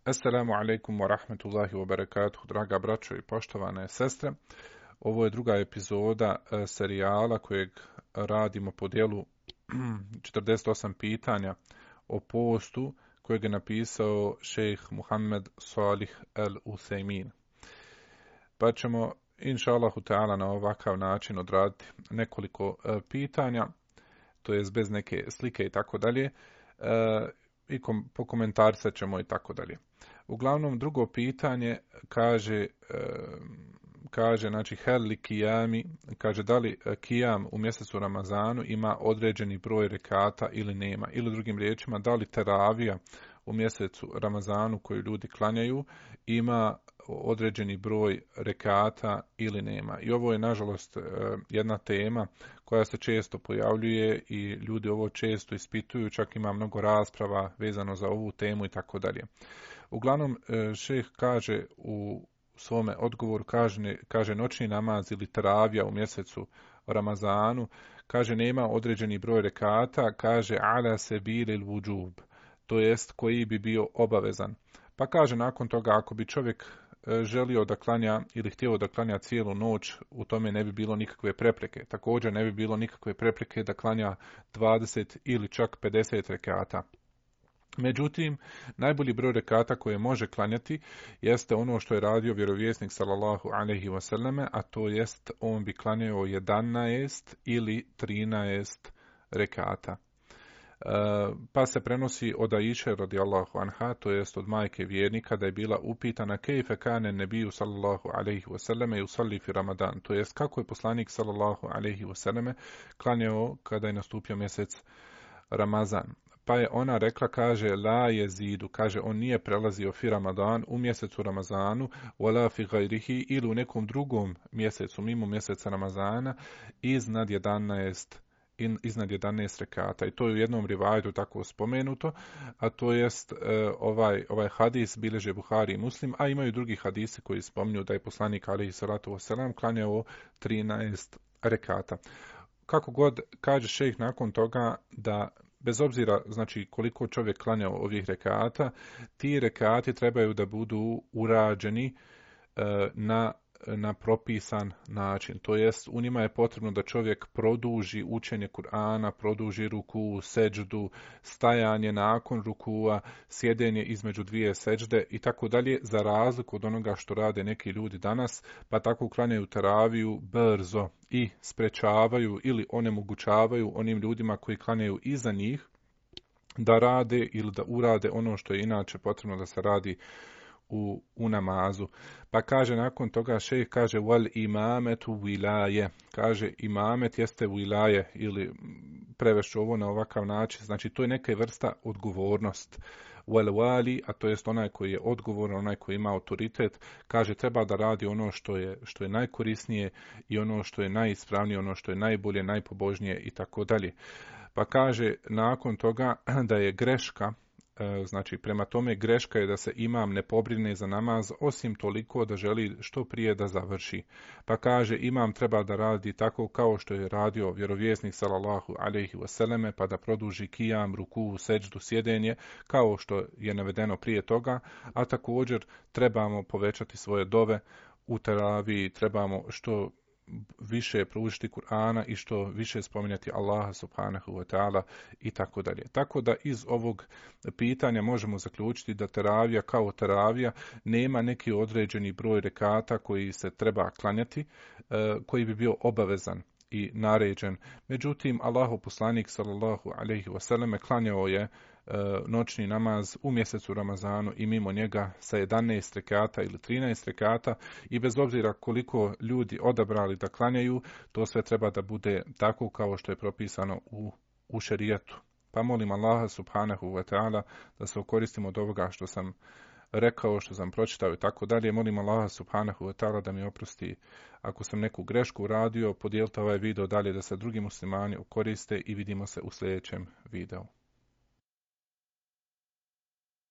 Assalamu alaikum wa rahmatullahi wa barakatuhu, draga braćo i poštovane sestre. Ovo je druga epizoda serijala kojeg radimo po dijelu 48 pitanja o postu kojeg je napisao šejh Muhammed Salih al-Uthaymin. Pa ćemo, inša Allahu ta'ala, na ovakav način odraditi nekoliko pitanja, to jest bez neke slike i tako dalje, i pokomentarisat ćemo i tako dalje. Uglavnom, drugo pitanje kaže znači hel kijami, kaže da li kijam u mjesecu Ramazanu ima određeni broj rekata ili nema, ili drugim riječima da li teravija u mjesecu Ramazanu koju ljudi klanjaju ima određeni broj rekata ili nema. I ovo je nažalost jedna tema koja se često pojavljuje i ljudi ovo često ispituju, čak ima mnogo rasprava vezano za ovu temu i tako dalje. Uglavnom, šejh kaže u svome odgovoru, kaže noćni namaz ili teravija u mjesecu Ramazanu, kaže nema određeni broj rekata, kaže ala sebilil vudžub, to jest koji bi bio obavezan. Pa kaže nakon toga, ako bi čovjek želio da klanja ili htio da klanja cijelu noć, u tome ne bi bilo nikakve prepreke. Također ne bi bilo nikakve prepreke da klanja 20 ili čak 50 rekata. Međutim, najbolji broj rekata koje može klanjati jeste ono što je radio vjerovjesnik sallallahu alejhi ve selleme, a to jest on bi klanjao 11 ili 13 rekata. Pa se prenosi od Aiše radijallahu anha, to jest od majke vjernika, da je bila upitana kejfe kane nebiju sallallahu alejhi ve selleme yusalli fi Ramadan, to jest kako je poslanik sallallahu alejhi ve selleme klanjao kada je nastupio mjesec Ramazan. Pa je ona rekla, kaže, la jezidu, kaže, on nije prelazio fi Ramadan u mjesecu Ramazanu, wala fi gajrihi, ili u nekom drugom mjesecu, mimo mjeseca Ramazana, iznad 11 rekata. I to je u jednom rivajetu tako spomenuto, a to jest ovaj hadis bilježe Buhari i Muslim, a imaju drugi hadisi koji spominju da je poslanik alejhi salatu vesselam klanjao 13 rekata. Kako god, kaže šejh nakon toga da bez obzira znači koliko čovjek klanja ovih rekata, ti rekati trebaju da budu urađeni na propisan način. To jest, u njima je potrebno da čovjek produži učenje Kur'ana, produži ruku, seđdu, stajanje nakon rukua, sjedenje između dvije seđde i tako dalje, za razliku od onoga što rade neki ljudi danas, pa tako klanjaju teraviju brzo i sprečavaju ili onemogućavaju onim ljudima koji klanjaju iza njih da rade ili da urade ono što je inače potrebno da se radi u namazu. Pa kaže nakon toga šejh kaže wal imametu wilaje, kaže imamet jeste wilaje, ili prevešću ovo na ovakav način, znači to je neka vrsta odgovornost. Wal wali, a to jest onaj koji je odgovoran, onaj koji ima autoritet, kaže treba da radi ono što je najkorisnije i ono što je najispravnije, ono što je najbolje, najpobožnije i tako dalje. Pa kaže nakon toga da je greška, znači prema tome greška je da se imam ne pobrine za namaz osim toliko da želi što prije da završi. Pa kaže imam treba da radi tako kao što je radio vjerovjesnik sallallahu alejhi ve selleme, pa da produži kijam, ruku, seđdu, sjedenje kao što je navedeno prije toga, a također trebamo povećati svoje dove u teraviji, trebamo što više proučiti Kur'ana i što više spominjati Allaha subhanahu wa ta'ala i tako dalje. Tako da iz ovog pitanja možemo zaključiti da teravija kao teravija nema neki određeni broj rekata koji se treba klanjati, koji bi bio obavezan i naređen. Međutim, Allahov poslanik sallallahu alejhi ve selleme klanjao je noćni namaz u mjesecu Ramazanu i mimo njega sa 11 rekata ili 13 rekata, i bez obzira koliko ljudi odabrali da klanjaju, to sve treba da bude tako kao što je propisano u šerijatu. Pa molim Allaha subhanahu wa ta'ala da se koristimo od ovoga što sam rekao, što sam pročitao i tako dalje. Molim Allaha subhanahu wa ta'ala da mi oprosti ako sam neku grešku uradio. Podijelite ovaj video dalje da se drugi muslimani koriste i vidimo se u sljedećem videu.